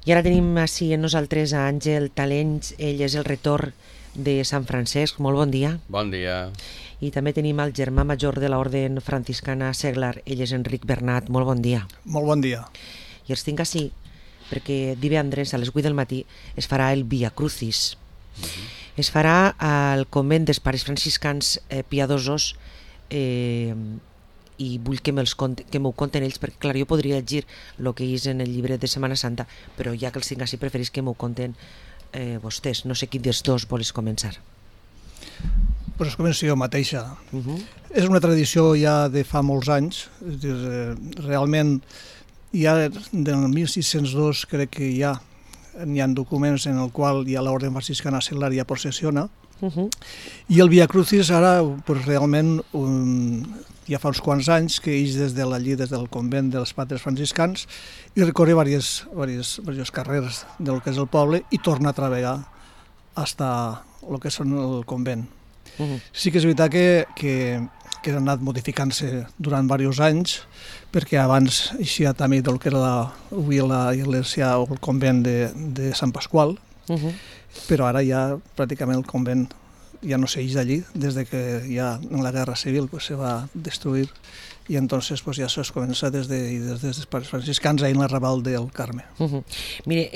I ara tenim així en nosaltres a Àngel Talents, ell és el retor de Sant Francesc, molt bon dia. Bon dia. I també tenim el germà major de l'Orde Franciscana Seglar, ell és Enric Bernat, molt bon dia. Molt bon dia. I els tinc així perquè divendres a les 8 del matí es farà el Via Crucis. Es farà al convent dels pares franciscans piadosos i vull que m'ho conten ells, perquè clar, jo podria llegir el que és en el llibre de Setmana Santa, però ja que els tinc així preferís que m'ho conten vostès. No sé quin dels dos vols començar. Pues començo jo mateixa. És una tradició ja de fa molts anys, és dir, realment ja del 1602 crec que hi ha documents en el qual ja l'Orde Franciscana Seglar ja processiona, i el Via Crucis ara pues, realment ja fa uns quants anys que ix des del convent dels patres franciscans i recorre diversos carrers del que és el poble i torna a treballar hasta el que són el convent. Sí que és veritat que ha anat modificant-se durant diversos anys, perquè abans eixia també del que era avui l'església o el convent de Sant Pasqual, però ara ja pràcticament el convent ja no s'eix d'allí, des de que ja en la Guerra Civil se va destruir i entonces ja es comença des dels pares franciscans ahí en l'arrabal del Carme. Mire,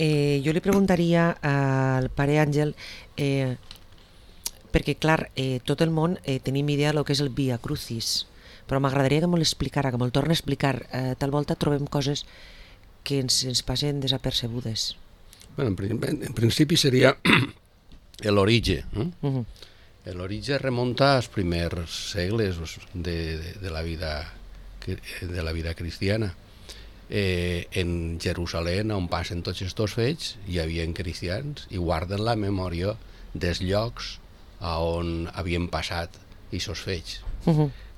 jo li preguntaria al pare Àngel, perquè clar, tot el món tenim idea del que és el Via Crucis, però m'agradaria que me'l explicara, que me'l torni a explicar. Tal volta trobem coses que ens passen desapercebudes. Bueno, en principi seria l'origen. L'origen remunta als primers segles de la vida cristiana. En Jerusalem, on passen tots aquests fets, hi havia cristians i guarden la memòria dels llocs on havien passat aquests fets.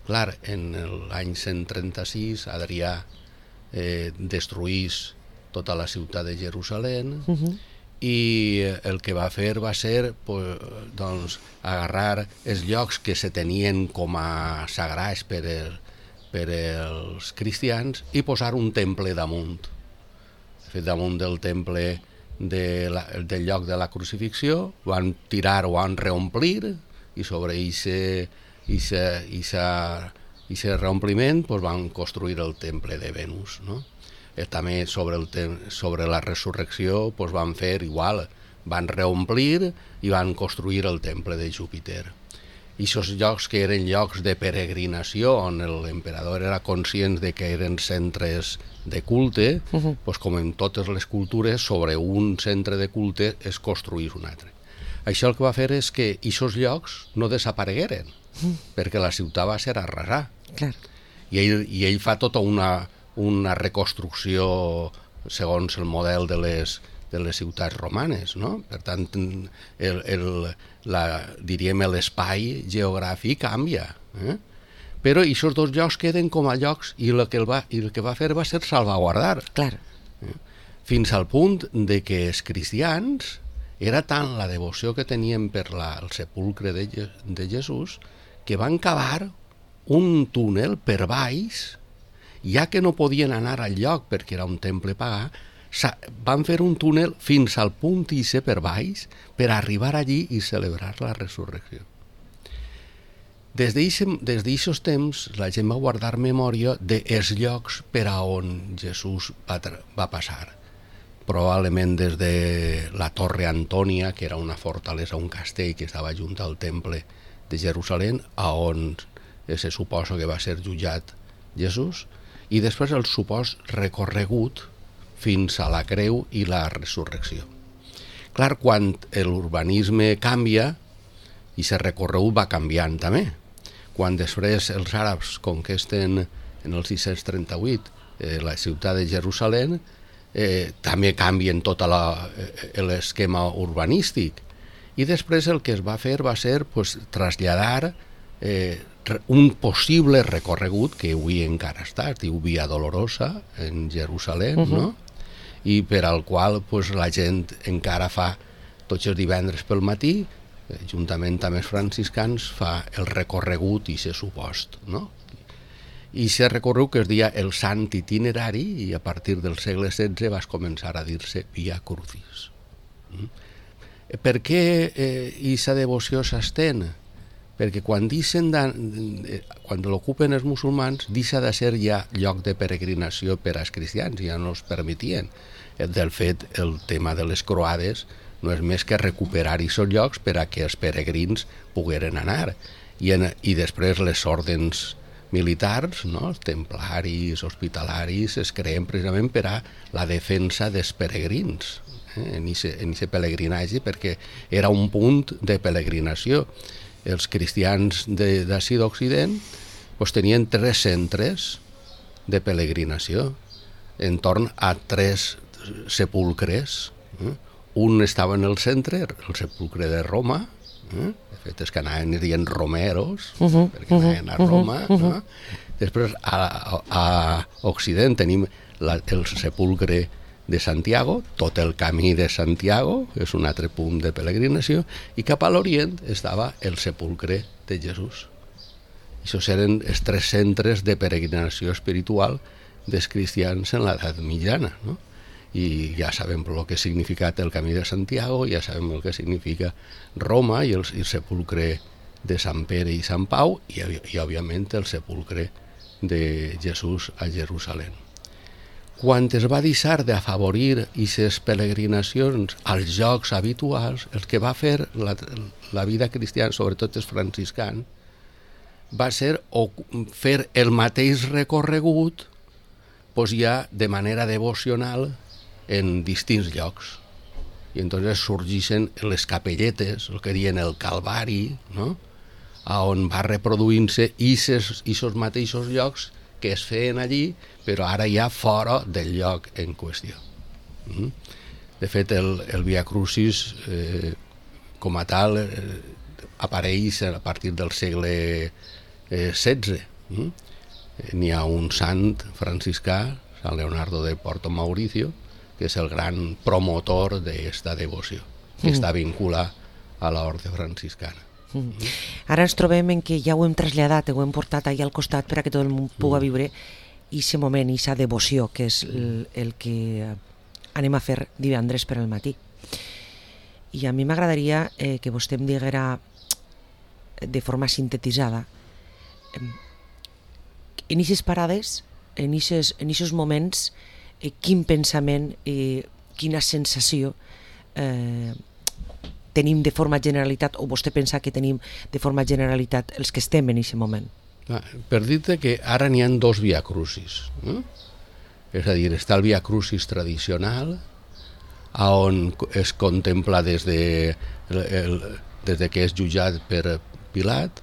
Clar, en l'any 136 Adrià destruís tota la ciutat de Jerusalem i el que va fer va ser agarrar els llocs que se tenien com a sagrats per als cristians i posar un temple damunt. Damunt del temple del lloc de la crucifixió van tirar o van reomplir i sobre aquest reompliment van construir el temple de Venus, no? També sobre la resurrecció van fer igual, van reomplir i van construir el temple de Júpiter. I aquests llocs que eren llocs de peregrinació, on l'emperador era conscient de que eren centres de culte, com en totes les cultures, sobre un centre de culte es construís un altre. Això el que va fer és que aquests llocs no desaparegueren, perquè la ciutat va ser arrasada. I ell fa tota una reconstrucció segons el model de les ciutats romanes, no? Per tant, diríem l'espai geogràfic canvia, però aquests dos llocs queden com a llocs i el que va fer va ser salvaguardar. Fins al punt de que els cristians era tant la devoció que tenien per el sepulcre de Jesús que van cavar un túnel per baix, ja que no podien anar al lloc perquè era un temple pagà, van fer un túnel fins al punt ise per baix per arribar allí i celebrar la resurrecció. Des d'aquests temps la gent va guardar memòria dels llocs per a on Jesús va passar. Probablement des de la Torre Antònia, que era una fortalesa, un castell que estava junt al temple de Jerusalem, on se suposa que va ser jutjat Jesús, i després el supòs recorregut fins a la creu i la resurrecció. Clar, quan l'urbanisme canvia, i aquest recorregut va canviant també. Quan després els àrabs conquesten en el 638 la ciutat de Jerusalem, també canvien tot l'esquema urbanístic. I després el que es va fer va ser traslladar un possible recorregut que avui encara està, es diu Via Dolorosa en Jerusalem, no? I per al qual la gent encara fa tots els divendres pel matí, juntament amb els franciscans, fa el recorregut i se supost, no? I s'ha recorregut que es deia el Sant Itinerari i a partir del segle XVI va començar a dir-se Via Crucis. Per què aquesta devoció s'estén? Perquè quan l'ocupen els musulmans deixa de ser ja lloc de peregrinació per als cristians, ja no els permetien. Del fet, el tema de les croades no és més que recuperar aquests llocs per a que els peregrins pogueren anar. I després les ordens militars, no? Els templaris, hospitalaris, es creen precisament per a la defensa dels peregrins en aquest pelegrinatge, perquè era un punt de peregrinació. Els cristians d'ací d'Occident tenien 3 centres de peregrinació entorn a 3 sepulcres. Un estava en el centre, el sepulcre de Roma, de fet és que anaven dient romeros, perquè anaven a Roma. Després a Occident tenim el sepulcre de Santiago, tot el camí de Santiago, és un altre punt de peregrinació, i cap a l'Orient estava el sepulcre de Jesús. Això eren els 3 centres de peregrinació espiritual dels cristians en l'edat mitjana, no? I ja sabem el que ha significat el camí de Santiago, ja sabem el que significa Roma i el sepulcre de Sant Pere i Sant Pau i òbviament el sepulcre de Jesús a Jerusalem. Quan es va deixar d'afavorir aquestes peregrinacions als llocs habituals, el que va fer la vida cristiana, sobretot els franciscans, va ser fer el mateix recorregut ja de manera devocional en distints llocs. I entonces sorgeixen les capelletes, el que diuen el Calvari, no? On va reproduint-se aquests mateixos llocs que es feien allí, però ara ja fora del lloc en qüestió. De fet, el Via Crucis com a tal apareix a partir del segle XVI. N'hi ha un sant franciscà, Sant Leonardo de Porto Mauricio, que és el gran promotor d'esta devoció, que està vinculat a l'orde franciscana. Ara ens trobem en que ja ho hem traslladat, ho hem portat allà al costat per a que tot el món pugui viure aquest moment, aquesta devoció, que és el que anem a fer divendres per al matí. I a mi m'agradaria que vostè em diguera de forma sintetitzada en aquestes parades, en aquests moments, quin pensament, quina sensació tenim de forma generalitat, o vostè pensa que tenim de forma generalitat els que estem en aquest moment? Per dir-te que ara n'hi ha 2 Via Crucis. És a dir, està el Via Crucis tradicional, on es contempla des de que és jutjat per Pilat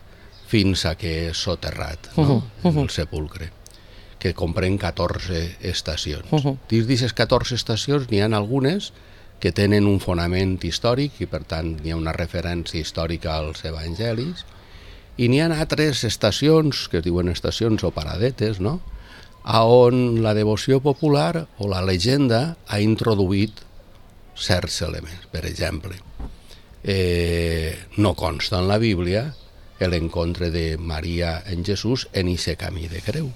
fins a que és soterrat en el sepulcre, que comprèn 14 estacions. Dins d'aquestes 14 estacions n'hi ha algunes que tenen un fonament històric i per tant hi ha una referència històrica als evangelis, i n'hi ha altres estacions, que es diuen estacions o paradetes, no? On la devoció popular o la llegenda ha introduït certs elements. Per exemple, no consta en la Bíblia l'encontre de Maria en Jesús en aquest camí de creu.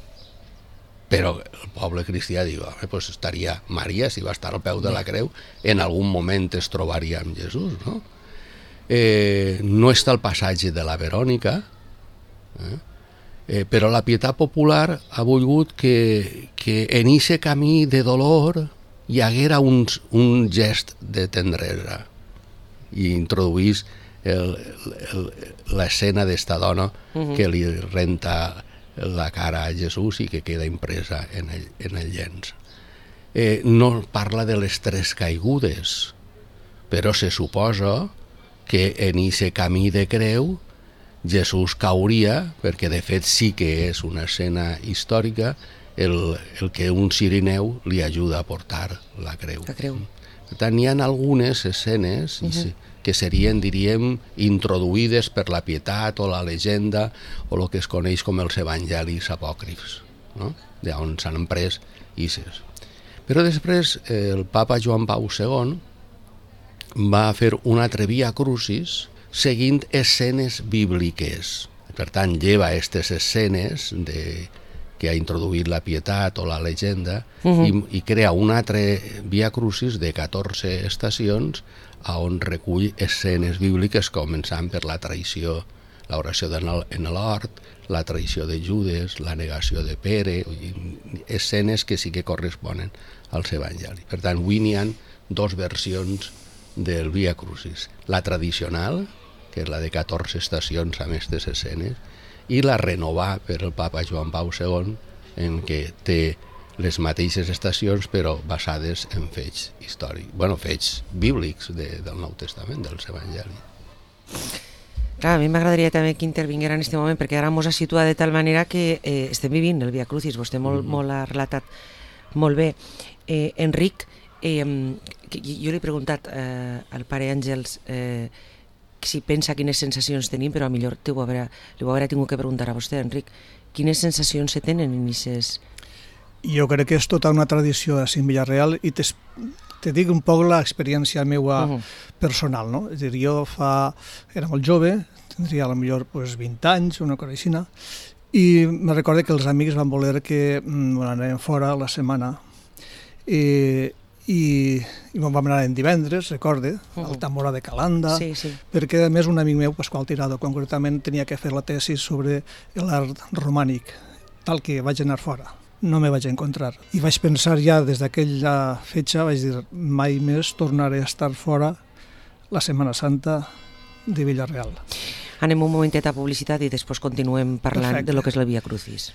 Però el poble cristià diu, pues estaria Maria, si va estar al peu de la creu, en algun moment es trobaria amb Jesús, no? No està el passatge de la Verònica, però la pietat popular ha volgut que en aquest camí de dolor hi haguera un gest de tendresa i introduís l'escena d'esta dona que li renta la cara a Jesús i que queda impresa en el llenç. No parla de les 3 caigudes, però se suposa que en aquest camí de creu Jesús cauria, perquè de fet sí que és una escena històrica, el que un cirineu li ajuda a portar la creu. Per tant, hi ha algunes escenes que serien, diríem, introduïdes per la pietat o la llegenda o el que es coneix com els evangelis apòcrifs, no? D'on s'han emprès isses. Però després el papa Joan Pau II va fer un altre Via Crucis seguint escenes bíbliques. Per tant, lleva aquestes escenes que ha introduït la pietat o la llegenda i crea un altre Via Crucis de 14 estacions on recull escenes bíbliques començant per la traïció, l'oració en l'hort, la traïció de Judes, la negació de Pere, escenes que sí que corresponen als evangelis. Per tant, avui n'hi ha dos versions del Via Crucis. La tradicional, que és la de 14 estacions amb aquestes escenes, i la renovada per el papa Joan Pau II, en què té les mateixes estacions però basades en fets històrics, fets bíblics del Nou Testament, dels evangelis. Clar, a mi m'agradaria també que intervinguera en aquest moment, perquè ara ens ha situat de tal manera que estem vivint el Via Crucis, vostè molt ha relatat molt bé. Enric, jo li he preguntat al pare Àngels si pensa quines sensacions tenim, però millor li ho haurà tingut que preguntar a vostè, Enric. Quines sensacions se tenen en aquestes... Jo crec que és tota una tradició a Cim Villarreal i te dic un poc l'experiència meva personal, no? És a dir, jo era molt jove, tindria potser 20 anys, una cosa així, i me recordo que els amics van voler que anàvem fora la setmana i vam anar en divendres, recorde, al Tamora de Calanda, perquè a més un amic meu, Pasqual Tirado, concretament tenia que fer la tesi sobre l'art romànic, tal que vaig anar fora. No me vaig encontrar. I vaig pensar ja des d'aquella fetge, vaig dir, mai més tornaré a estar fora la Setmana Santa de Villarreal. Anem un momentet a publicitat i després continuem parlant de lo que és el Via Crucis.